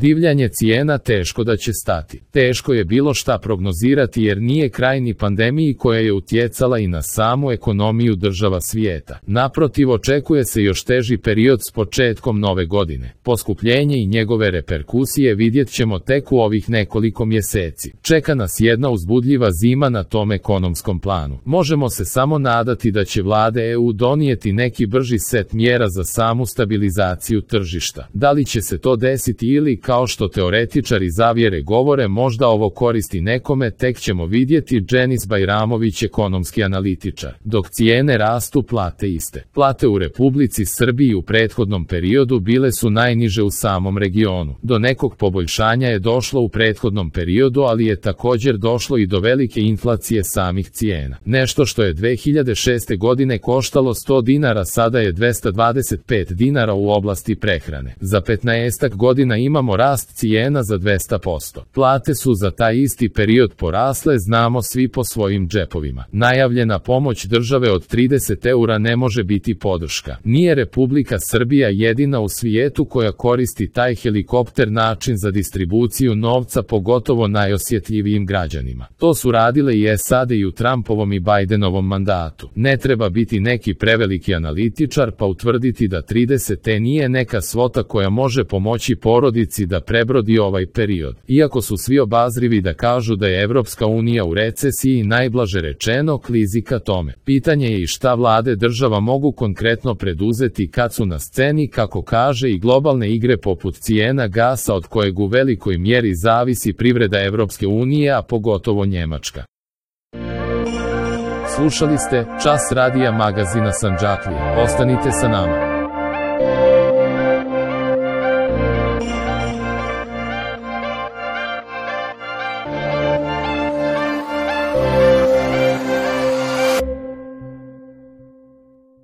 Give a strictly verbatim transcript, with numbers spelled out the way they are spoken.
Divljanje cijena teško da će stati. Teško je bilo šta prognozirati jer nije kraj ni pandemiji koja je utjecala i na samu ekonomiju država svijeta. Naprotiv, očekuje se još teži period s početkom nove godine. Poskupljenje i njegove reperkusije vidjet ćemo tek u ovih nekoliko mjeseci. Čeka nas jedna uzbudljiva zima na tom ekonomskom planu. Možemo se samo nadati da će vlade E U donijeti neki brži set mjera za samu stabilizaciju tržišta. Da li će se to desiti ili, kao što teoretičari zavjere govore, možda ovo koristi nekome, tek ćemo vidjeti. Dženis Bajramović, ekonomski analitičar. Dok cijene rastu, plate iste. Plate u Republici Srbiji u prethodnom periodu bile su najniže u samom regionu. Do nekog poboljšanja je došlo u prethodnom periodu, ali je također došlo i do velike inflacije samih cijena. Nešto što je dve hiljade šeste godine koštalo sto dinara, sada je dvesta dvadeset pet dinara u oblasti prehrane. Za petnaestak godina imamo rast cijena za dvesta posto. Plate su za taj isti period porasle, znamo svi po svojim džepovima. Najavljena pomoć države od trideset eura ne može biti podrška. Nije Republika Srbija jedina u svijetu koja koristi taj helikopter način za distribuciju novca, pogotovo najosjetljivijim građanima. To su radile i S A D i u Trumpovom i Bidenovom mandatu. Ne treba biti neki preveliki analitičar pa utvrditi da trideset eura nije neka svota koja može pomoći porodici da prebrodi ovaj period. Iako su svi obazrivi da kažu da je Evropska unija u recesiji, najblaže rečeno klizi ka tome. Pitanje je i šta vlade država mogu konkretno preduzeti kad su na sceni, kako kaže, i globalne igre poput cijena gasa od kojeg u velikoj mjeri zavisi privreda Evropske unije, a pogotovo Njemačka. Slušali ste Čas radija magazina Sandžaklija. Ostanite sa nama.